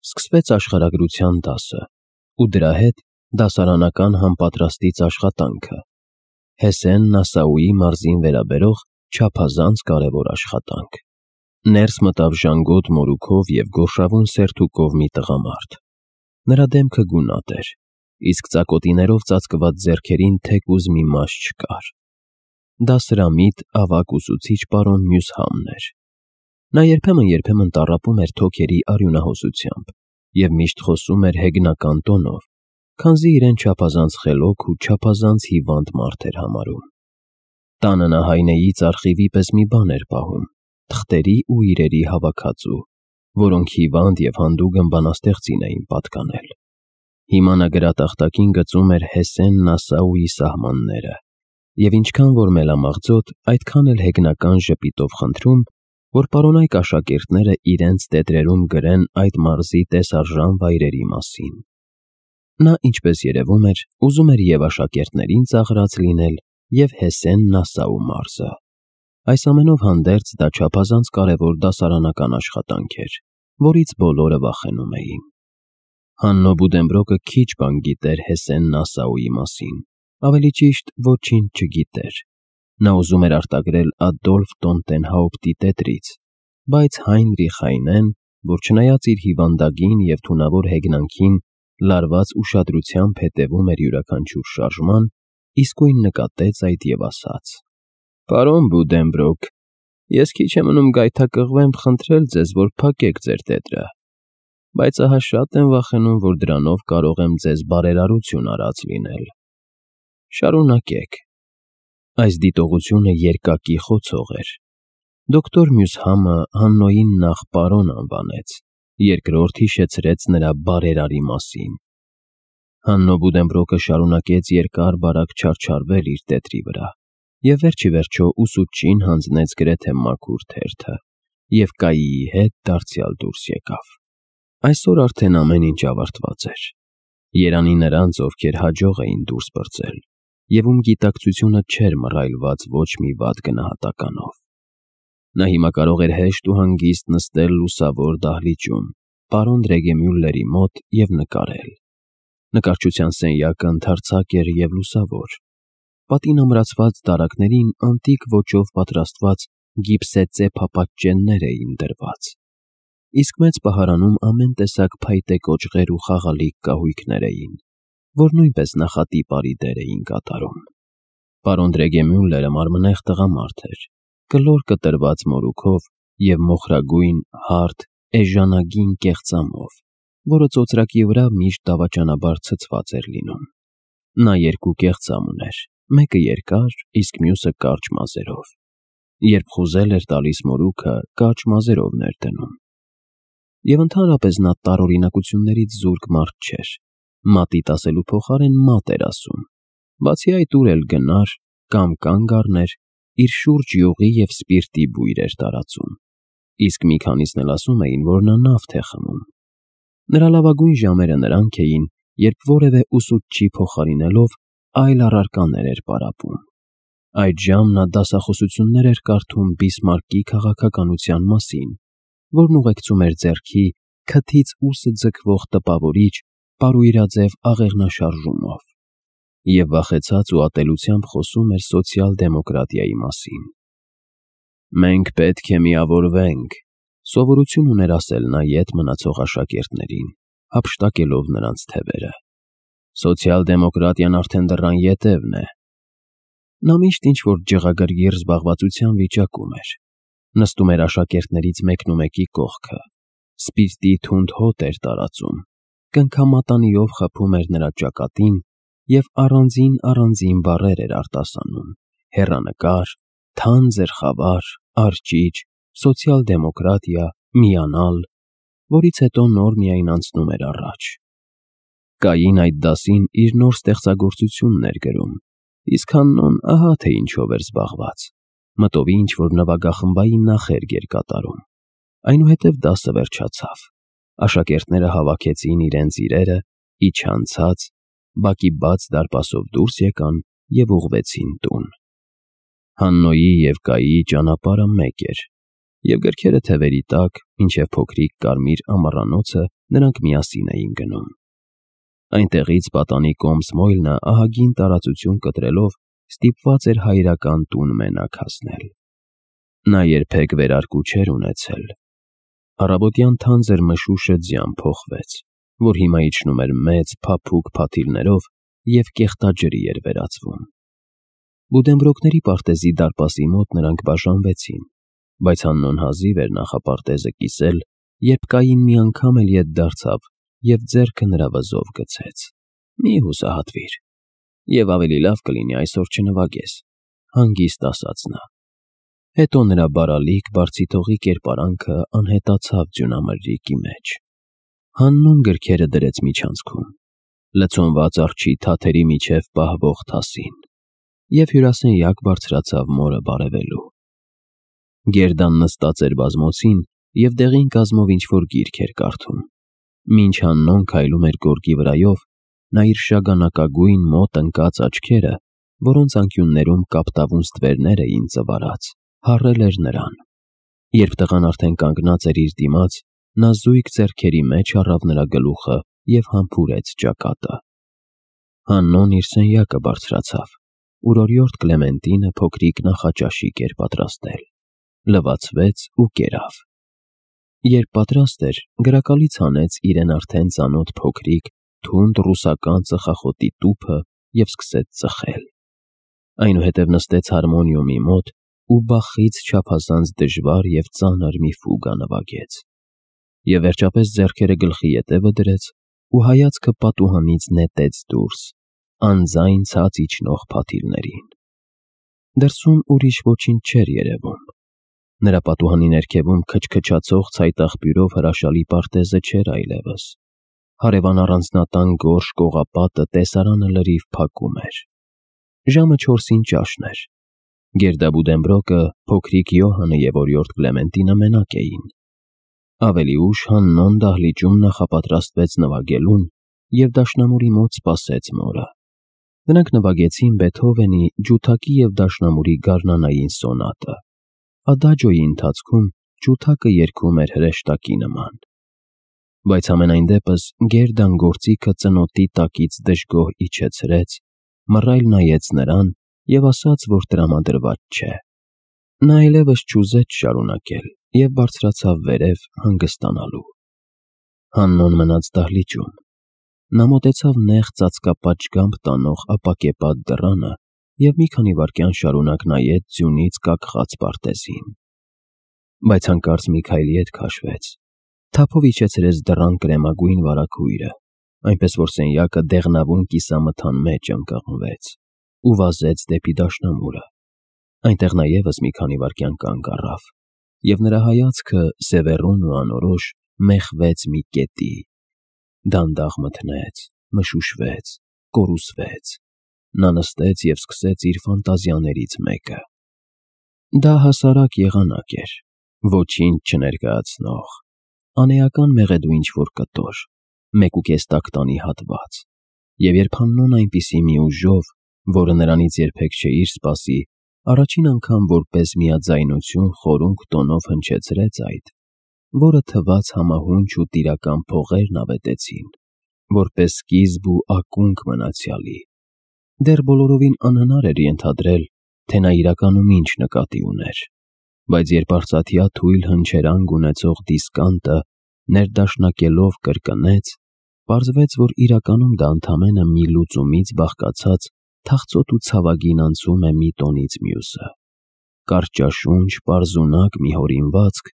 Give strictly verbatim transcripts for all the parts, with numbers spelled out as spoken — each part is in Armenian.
Սկսվեց աշխարհագրության դասը, ու դրա հետ դասարանական համապատրաստից աշխատանքը, Հեսեն Նասաուի մարզին վերաբերող չափազանց կարևոր աշխատանք։ Ներս մտավ ժանգոտ մորուքով և գորշավուն սերթուկով մի տղամարդ։ Նրա դեմքը գունատ էր, իսկ ծակոտիներով ծածկված ձեռքերին թեկուզ մի մաշ չկար։ Դա սրամիտ, ավագ ուսուցիչ պարոն Մյուսհամն էր։ Նա երբեմն-երբեմն տառապում էր թոքերի արյունահոսությամբ և միշտ խոսում էր հեգնական տոնով, քանզի իրեն չափազանց խելոք ու չափազանց հիվանդ մարդ էր համարում։ Տանը նա հայնեից արխիվի պես մի բան էր պահում, թղթերի ու իրերի հավաքածու, որոնք հիվանդ և հանդուգն բանաստեղծին էին պատկանել։ Հիմա նա գրատախտակին գծում էր Հեսեն Նասաուի սահմանները և ինչքան որ մելամաղձոտ, այդքան էլ հեգնական ժպիտով խնդրում, որ պարոնայք աշակերտները իրենց տետրերում գրեն այդ մարզի տեսարժան վայրերի մասին։ Նա, ինչպես երևում էր, ուզում էր և աշակերտներին ծաղրած լինել, և Հեսեն Նասաու մարզը։ Այս ամենով հանդերձ դա չափազանց կարևոր դասարանական աշխատանք էր, որից բոլորը վախենում էին։ Հաննո Բուդենբրոկը քիչ բան գիտեր Հեսեն Նասաուի մասին, ավելի ճիշտ ոչինչ չգիտեր։ Նա ուզում էր արտագրել Ադոլֆ Տոնտենհաուպտի տետրից, բայց Հայնրիխ Հայնեն, որ չնայած իր հիվանդագին և թունավոր հեգնանքին լարված ուշադրությամբ հետևում էր յուրաքանչյուր շարժման, իսկույն նկատեց այդ և ասաց. «Պարոն Բուդենբրոկ, ես քիչ է մնում գայթակղվեմ խնդրել ձեզ, որ փակեք ձեր տետրը, բայց ահա շատ եմ վախենում, որ դրանով կարող եմ ձեզ բարերարություն արած լինել։ Շարունակեք»։ Այս դիտողությունը երկակի խոցող էր։ Դոկտոր Մյուսհամը Հաննոյին նախ պարոն անվանեց, երկրորդ հիշեցրեց նրա բարերարի մասին։ Հաննո Բուդենբրոկը շարունակեց երկար-բարակ չարչարվել իր տետրի վրա և վերջիվերջո ուսուցչին հանձնեց գրեթե մաքուր թերթը և կայիի հետ դարձյալ դուրս եկավ։ Այսօր արդեն ամեն ինչ ավարտված էր։ Երանի նրանց, ովքեր հաջող էին դուրս պրծել և ում գիտակցությունը չէր մռայլված ոչ մի վատ գնահատականով։ Նա հիմա կարող էր հեշտ ու հանգիստ նստել լուսավոր դահլիճում, պարոն Ռեգեմյուլլերի մոտ և նկարել։ Նկարչության սենյակը ընդարձակ էր և լուսավոր։ Պատին ամրացված դարակներին անտիկ ոճով պատրաստված գիպսեծե փապատճեններ էին դրված, իսկ մեծ պահարանում ամեն տեսակ փայտե կոճղեր ու խաղալիք կահույքներ էին, որ նույնպես նախատիպարի դեր էին կատարում։ Պարոն Ռեգեմյուլլերը մարմնեղ տղամարդ էր, կլոր կտրված մորուքով և մոխրագույն, հարթ, էժանագին կեղծամով, որը ծոծրակի վրա միշտ դավաճանաբար ցցված էր լինում։ Նա երկու կեղծամ ուներ, մեկը երկար, իսկ մյուսը կարճ մազերով։ Երբ խուզել էր տալիս մորուքը, կարճ մազերով ներդնում։ Եվ ընդհանրապես նա տարօրինակություններից զուրկ մարդ չէր, մատիտ ասելու փոխարեն մատ էր ասում, բացի այդ ուր էլ գնար կամ կանգ առներ, իր շուրջ յուղի և սպիրտի բույր էր տարածում, իսկ մի քանիսն էլ ասում էին, որ նա նավթ է խմում։ Նրա լավագույն ժամերը նրանք էին, երբ որևէ ուսուցչի փոխարինելով այլ առարկաներ էր պարապում։ Այդժամ նա դասախոսություններ էր կարդում Բիսմարկի քաղաքականության մասին, որն ուղեկցում էր ձեռքի քթից ուսը ձգվող տպավորիչ պարույրաձև աղեղնաշարժումով և վախեցած ու ատելությամբ խոսում էր սոցիալ֊դեմոկրատիայի մասին։ «Մենք պետք է միավորվենք», սովորություն ուներ ասել նա ետ մնացող աշակերտներին, հափշտակելով նրանց թևերը։ «Սոցիալ֊դեմոկրատիան արդեն դռան ետևն է»։ Նա միշտ ինչ-որ ջղագրգիռ զբաղվածության վիճակում էր։ Նստում էր աշակերտներից մեկնումեկի կողքը, սպիրտի թունդ հոտ էր տարածում, կնքամատանիով խփում էր նրա ճակատին և առանձին-առանձին բառեր էր արտասանում՝ հեռանկար, թանձր խավար, արջիջ, սոցիալ֊դեմոկրատիա, միանալ, որից հետո նոր միայն անցնում էր առաջ։ Կային այդ դասին իր նոր ստեղծագործությունն էր գրում, իսկ Հաննոն ահա թե ինչով էր զբաղված, մտովի ինչ-որ նվագախմբային նախերգ էր կատարում։ Այնուհետև դասը վերջացավ։ Աշակերտները հավաքեցին իրենց իրերը, իջան ցած, բակի բաց դարպասով դուրս եկան և ուղղվեցին տուն։ Հաննոյի և Կայիի ճանապարհը մեկ էր, և գրքերը թևերի տակ, մինչև փոքրիկ կարմիր ամառանոցը նրանք միասին էին գնում։ Այնտեղից պատանի կողմ Սմոյլնը ահագին տարածություն կտրելով ստիպված էր հայրական տուն մենակ հասնել։ Նա երբեք վերարկու չէր ունեցել։ Առավոտյան թանձր մշուշը ձյան փոխվեց, որ հիմա իջնում էր մեծ փափուկ փաթիլներով և կեղտաջրի էր վերածվում։ Բուդենբրոկների պարտեզի դարպասի մոտ նրանք բաժանվեցին, բայց Հաննոն հազիվ էր նախապարտեզը կիսել, երբ Կային մի անգամ էլ ետ դարձավ և ձեռքը նրա վզով գցեց։ «Մի հուսահատվիր, և ավելի լավ կլինի այսօր չնվագես», հանգիստ ասաց նա։ Հետո նրա բարալիկ, բարձիթողի կերպարանքը անհետացավ ձյունամրրիկի մեջ։ Հաննուն գրքերը դրեց միջանցքում, լցոնված արջի թաթերի միջև պահվող թասին, և հյուրասենյակ բարձրացավ մորը բարևելու։ Գերդան նստած էր բազմոցին և դեղին կազմով ինչ-որ գիրք էր կարդում։ Մինչ Հաննոն քայլում էր գորգի վրայով, նա իր շագանակագույն մոտ ընկած աչքերը, որոնց անկյուններում կապտավուն ստվերներ էին ծվարած, հառել էր նրան։ Երբ տղան արդեն կանգնած էր իր դիմաց, նա զույգ ձեռքերի մեջ առավ նրա գլուխը և համբուրեց ճակատը։ Հաննոն իր սենյակը բարձրացավ, ուր օրիորդ Կլեմենտինը փոքրիկ նախաճաշիկ էր պատրաստել, լվացվեց ու կերավ։ Երբ պատրաստ էր, գրակալից հանեց իրեն արդեն ծանոթ փոքրիկ, թունդ ռուսական ծխախոտի տուփը և սկսեց ծխել։ Այնուհետև նստեց հարմոնիումի մոտ ու Բախից չափազանց դժվար և ծանր մի ֆուգա նվագեց, և վերջապես ձեռքերը գլխի ետևը դրեց ու հայացքը պատուհանից նետեց դուրս, անձայն ցած իջնող փաթիլներին։ Դրսում ուրիշ ոչինչ չէր երևում։ Նրա պատուհանի ներքևում քչքչացող ցայտաղբյուրով հրաշալի պարտեզը չէր այլևս։ Հարևան առանձնատան գորշ կողապատը տեսարանը լրիվ փակում էր։ Ժամը չորսին ճաշն էր։ Գերդա Բուդենբրոկը, փոքրիկ Յոհանը և օրիորդ Կլեմենտինը մենակ էին։ Ավելի ուշ Հաննոն դահլիճում նախապատրաստվեց նվագելուն և դաշնամուրի մոտ սպասեց մորը։ Նրանք նվագեցին Բեթհովենի ջութակի և դաշնամուրի գարնանային սոնատը։ Ադաջոյի ընթացքում ջութակը երգում էր հրեշտակի նման։ Բայց համենայն դեպս Գերդան գործիքը ծնոտի տակից դժգոհ իջեցրեց, մռայլ նայեց նրան և ասաց, որ տրամադրված չէ։ Նա այլևս չուզեց շարունակել և բարձրացավ վերև հանգստանալու։ Հաննոն մնաց դահլիճում։ Նա մոտեցավ նեղ ծածկապատշգամբ տանող ապակեպատ դռանը և մի քանի վայրկյան շարունակ նայեց ձյունից կակղած պարտեզին։ Բայց հանկարծ մի քայլ ետ քաշվեց, թափով իջեցրեց դռան կրեմագույն վարագույրը, այնպես որ սենյակը դեղնավուն կիսամթան մեջ ընկղմվեց ու վազեց դեպի դաշնամուրը։ Այնտեղ նա ևս մի քանի վայրկյան կանգ առավ, և նրա հայացքը, սևեռուն ու անորոշ, մեխվեց մի կետի, դանդաղ մթնեց, մշուշվեց, կորուսվեց։ Նա նստեց և սկսեց իր ֆանտազիաներից մեկը։ Դա հասարակ եղանակ էր, ոչինչ չներկայացնող, անեական մեղեդու ինչ-որ կտոր, մեկուկես տակտանի հատված, և երբ Հաննոն այնպիսի մի ուժով, որը նրանից երբեք չէիր սպասի, առաջին անգամ որպես միաձայնություն խորունկ տոնով հնչեցրեց այդ, որը թվաց համահունչ ու տիրական փողերն ավետեցին, որպես սկիզբ ու ակունք մնացյալի, դեռ բոլորովին անհնար էր ենթադրել, թե նա իրականում ինչ նկատի ուներ, բայց երբ արծաթյա թույլ հնչերանգ ունեցող դիսկանտը ներդաշնակելով կրկնեց, պարզվեց, որ իրականում դա ընդամենը մի լուծումից բաղկացած թախծոտ ու ցավագին անցում է մի տոնից մյուսը, կարճաշունչ, պարզունակ մի հորինվածք,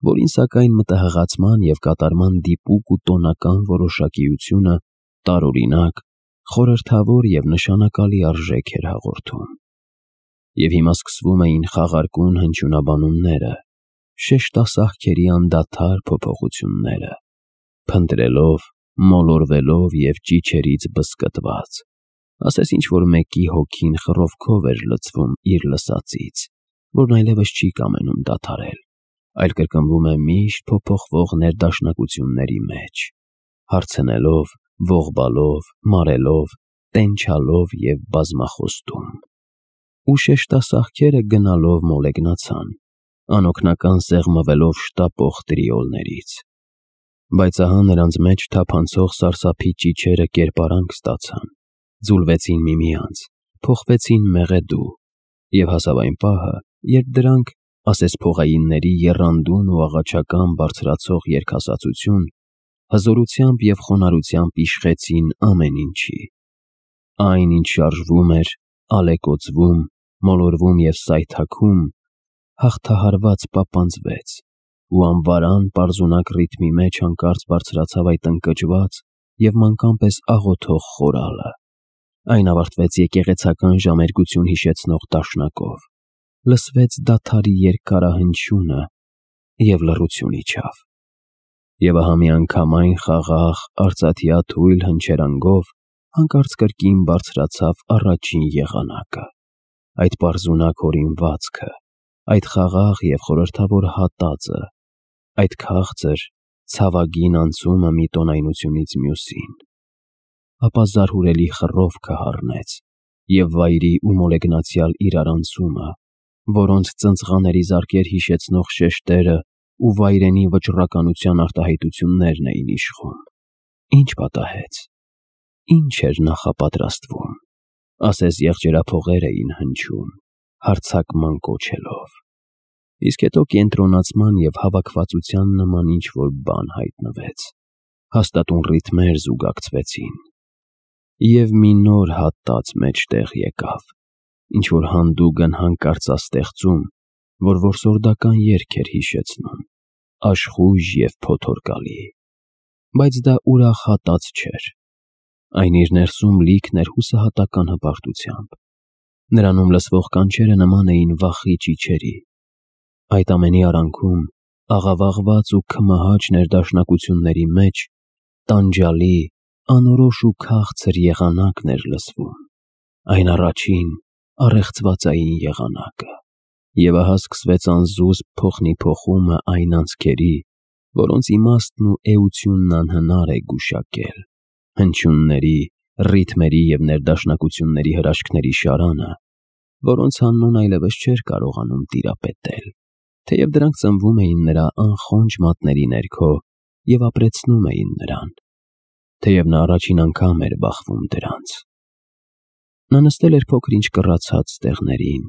որին սակայն մտահղացման և կատարման դիպուկ ու տոնական որոշակիությունը տարօրինակ, խորհրդավոր և նշանակալի արժեք էր հաղորդում։ Եվ հիմա սկսվում էին խաղարկուն հնչյունաբանումները, շեշտասահքերի անդադար փոփոխությունները, փնտրելով, մոլորվելով և ճիչերից բզկտված, ասես ինչ-որ մեկի հոգին խռովքով էր լցվում իր լսածից, որն այլևս չի կամենում դադարել, այլ կրկնվում է միշտ փոփոխվող ներդաշնակությունների մեջ, հարցնելով, ողբալով, մարելով, տենչալով և բազմախոստում։ Ու շեշտասահքերը գնալով մոլեգնացան, անօգնական սեղմվելով շտապող տրիոլներից։ Բայց ահա նրանց մեջ թափանցող սարսափի ճիչերը կերպարանք ստացան, ձուլվեցին միմյանց, փոխվեցին մեղեդու, և հասավ այն պահը, երբ դրանք, ասես փողայինների եռանդուն ու աղաչական բարձրացող երգասացություն, հզորությամբ և խոնարհությամբ իշխեցին ամեն ինչի։ Այն, ինչ շարժվում էր, ալեկոծվում, մոլորվում և սայթաքում, հաղթահարված պապանձվեց, ու անվարան պարզունակ ռիթմի մեջ հանկարծ բարձրացավ այդ ընկճված և մանկան պես աղոթող խորալը։ Այն ավարտվեց եկեղեցական ժամերգություն հիշեցնող դաշնակով, լսվեց դադարի երկարահնչյունը և լռություն իջավ։ Եվ ահա միանգամայն խաղաղ, արծաթյա թույլ հնչերանգով հանկարծ կրկին բարձրացավ առաջին եղանակը, այդ պարզունակ հորինվածքը, այդ խաղաղ և խորհրդավոր հատածը, այդ քաղցր, ցավագին անցումը մի տոնայնությունից մյուսին։ Ապա զարհուրելի խռովքը հառնեց, և վայրի ու մոլեգնացյալ իրարանցումը, որոնց ծնծղաների զարկեր հիշեցնող շեշտերը ու վայրենի վճռականության արտահայտություններն էին իշխում։ Ինչ պատահեց, ինչ էր նախապատրաստվում, ասես եղջերափողեր էին հնչում, հարձակման կոչելով։ Իսկ հետո կենտրոնացման և հավաքվածության նման ինչ-որ բան հայտնվեց, հաստատուն ռիթմեր զուգակցվեցին, և մի նոր հատած մեջտեղ եկավ, ինչ-որ հանդուգն հանկարծաստեղծում, որ որսորդական երգ էր հիշեցնում, աշխույժ և փոթորկալի։ Բայց դա ուրախ հատած չէր, այն իր ներսում լիքն էր հուսահատական հպարտությամբ։ Նրանում լսվող կանչերը նման էին վախի ճիչերի։ Այդ ամենի արանքում, աղավաղված ու քմահաճ ներդաշնակությունների մեջ, տանջալի, անորոշ ու քաղցր եղանակն էր լսվում, այն առաջին, առեղծվածային եղանակը։ Եվ ահա սկսվեց անզուսպ փոխնիփոխումը այն անցքերի, որոնց իմաստն ու էությունն անհնար է գուշակել, հնչյունների, ռիթմերի և ներդաշնակությունների հրաշքների շարանը, որոնց անունն այլևս չէր կարողանում տիրապետել, թեև դրանք ծնվում էին նրա անխոնջ մատների ներքո և ապրեցնում էին նրան, թեև նա առաջին անգամ էր բախվում դրանց։ Նա նստել էր փոքր-ինչ կռացած ստեղներին,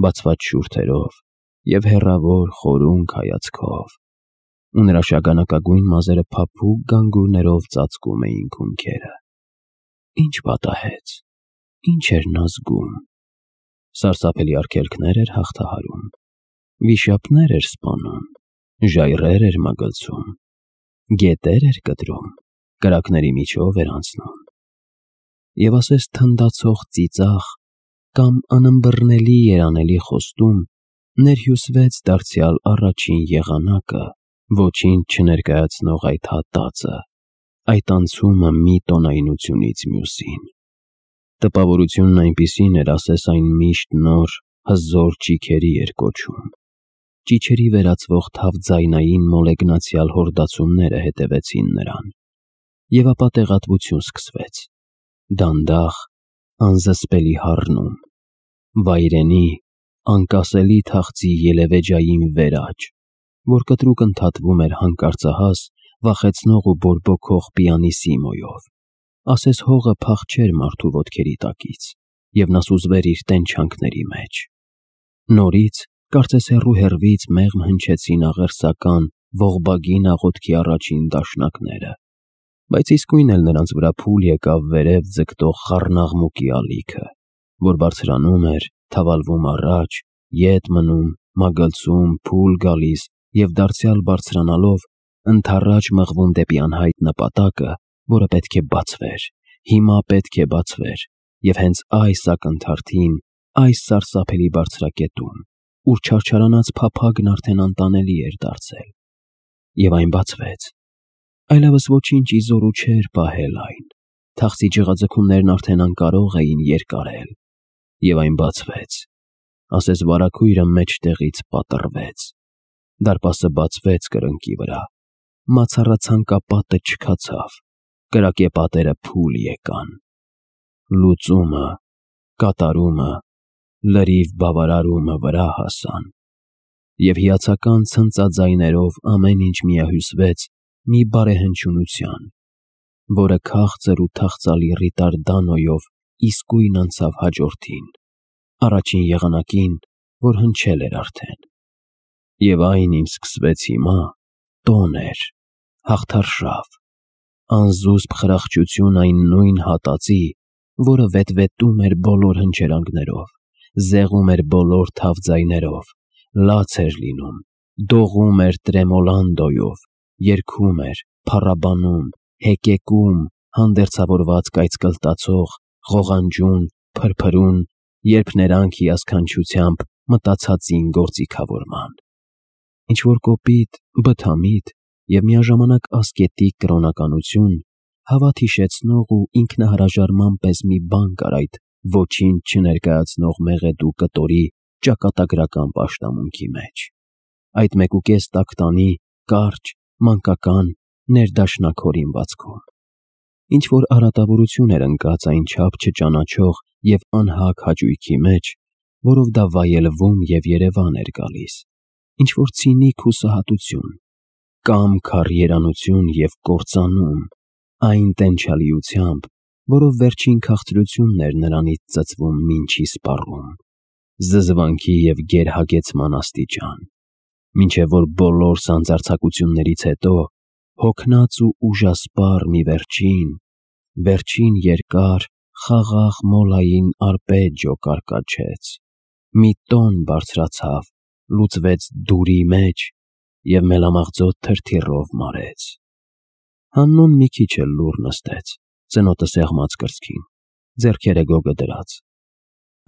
բացված շուրթերով և հեռավոր խորունկ հայացքով, ու նրա շագանակագույն մազերը փափուկ գանգուրներով ծածկում էին քունքերը։ Ինչ պատահեց, ինչ էր նա զգում։ Սարսափելի արգելքնե՞ր էր հաղթահարում, վիշապնե՞ր էր սպանում, ժայռե՞ր էր մագլցում, գետե՞ր էր կտրում, կրակների միջո՞վ էր անցնում։ Եվ ասես թնդացող ծիծաղ կամ անըմբռնելի երանելի խոստում ներհյուսվեց դարձյալ առաջին եղանակը, ոչինչ չներկայացնող այդ հատածը, այդ անցումը մի տոնայնությունից մյուսին։ Տպավորությունն այնպիսին էր, ասես այն միշտ նոր, հզոր ճիգերի էր կոչում։ Ճիչերի վերածվող թավձայնային մոլեգնացյալ հորդացումները հետևեցին նրան, և ապա տեղատվություն սկսվեց, դանդաղ, անզսպելի հառնում, վայրենի, անկասելի թախծի ելևէջային վերաճ, որ կտրուկ ընդհատվում էր հանկարծահաս, վախեցնող ու բորբոքող պիանիսիմոյով, ասես հողը փախչեր մարդու ոտքերի տակից, և նա սուզվեր իր տենչանքների մեջ։ Նորից, կարծես հեռու հեռվից մեղմ հնչեցին աղերսական, ողբագին աղոթքի առաջին դաշնակները, բայց իսկույն էլ նրանց վրա փուլ եկավ վերև ձգտող խառնաղմուկի ալիքը, որ բարձրանում էր, թավալվում առաջ, ետ մնում, մագլցում, փուլ գալիս և դարձյալ բարձրանալով, ընդառաջ մղվում դեպի անհայտ նպատակը, որը պետք է բացվեր, հիմա պետք է բացվեր, և հենց այս ակնթարթին, այս սարսափելի բարձրակետում, ուր չարչարանած փափագն արդեն անտանելի էր դարձել։ Եվ այն բացվեց։ Այլևս ոչինչ ի զորու չէր պահել այն, թախծի ջղաձգումներն արդեն անկարող էին երկարել, և այն բացվեց, ասես վարագույրը մեջտեղից պատռվեց, դարպասը բացվեց կրկնակի վրա, մացառացանկապատը չքացավ, կրակեպատերը փուլ եկան։ Լուծումը, կատարումը, լրիվ բավարարումը վրա հասան, և հիացական ցնծաձայներով ամեն ինչ միահյուսվեց մի բարեհնչյունության, որը քաղցր ու թախծալի ռիտարդանոյով իսկույն անցավ հաջորդին, առաջին եղանակին, որ հնչել էր արդեն։ Եվ այն ինչ սկսվեց հիմա, տոն էր, հաղթարշավ, անզուսպ խրախճություն այն նույն հատածի, որը վետվետում էր բոլոր հնչերանգներով, զեղում էր բոլոր թավձայներով, լաց էր լինում, դողում էր տրեմոլանդոյով, երգում էր, փառաբանում, հեկեկում, հանդերձավորված կայծկլտացող, ղողանջուն, փրփրուն, երբ նրանք հիասքանչությամբ մտացածին գործիքավորման։ Ինչ-որ կոպիտ, բթամիտ և միաժամանակ ասկետիկ կրոնականություն, հավատ հիշեցնող ու ինքնահրաժարման պես մի բան կար այդ ոչինչ չներկայացնող մեղեդու կտորի ճակատագրական պաշտամունքի մեջ, այդ մեկուկես տակտանի կարճ, մանկական, ներդաշնակ հորինվածքում։ Ինչ-որ արատավորություն էր ընկած այնչափ չճանաչող և անհագ հաճույքի մեջ, որով դա վայելվում և երևան էր գալիս, ինչ-որ ցինիկ հուսահատություն, կամք առ երանություն և կործանում, այն տենչալիությամբ, որով վերջին քաղցրությունն էր նրանից ծծվում մինչի սպառում, զզվանքի և գերհագեցման աստիճան, մինչև որ բոլոր սանձարձակություններից հետո հոգնած ու ուժասպառ մի վերջին, վերջին երկար, խաղաղ մոլային արգպեջիո կարկաչեց, մի տոն բարձրացավ, լուծվեց դուրի մեջ և մելամաղձոտ թրթիռով մարեց։ Հաննոն մի քիչ էլ լուռ նստեց, ծնոտը սեղմած կրծքին, ձեռքերը գոգը դրած,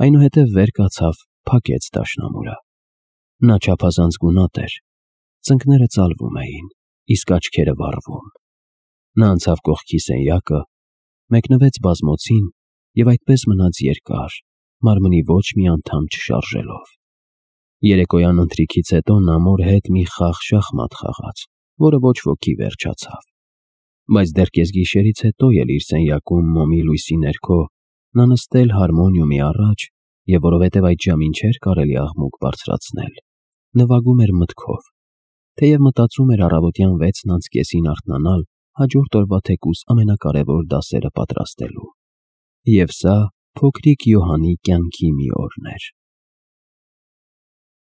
այնուհետև վեր կացավ, փակեց դաշնամուրը։ Նա չափազանց գունատ էր, ծնկները ծալվում էին, իսկ աչքերը վառվում։ Նա անցավ կողքի սենյակը, մեկնվեց բազմոցին և այդպես մնաց երկար, մարմնի ոչ մի անդամ չշարժելով։ Երեկոյան ընթրիքից հետո նա մոր հետ մի խաղ շախմատ խաղաց, որը ոչ ոքի վերջացավ, բայց դեռ կեսգիշերից հետո էլ իր սենյակում մոմի լույսի ներքո նա նստել հարմոնիումի առաջ և որովհետև այդ ժամին չէր կարելի աղմուկ բարձրացնել, նվագում էր մտքով, թեև մտածում էր առավոտյան վեցն անց կեսին արթնանալ հաջորդ օրվա թեկուզ ամենակարևոր դասերը պատրաստելու։ Եվ սա փոքրիկ Յոհանի կյանքի մի օրն էր։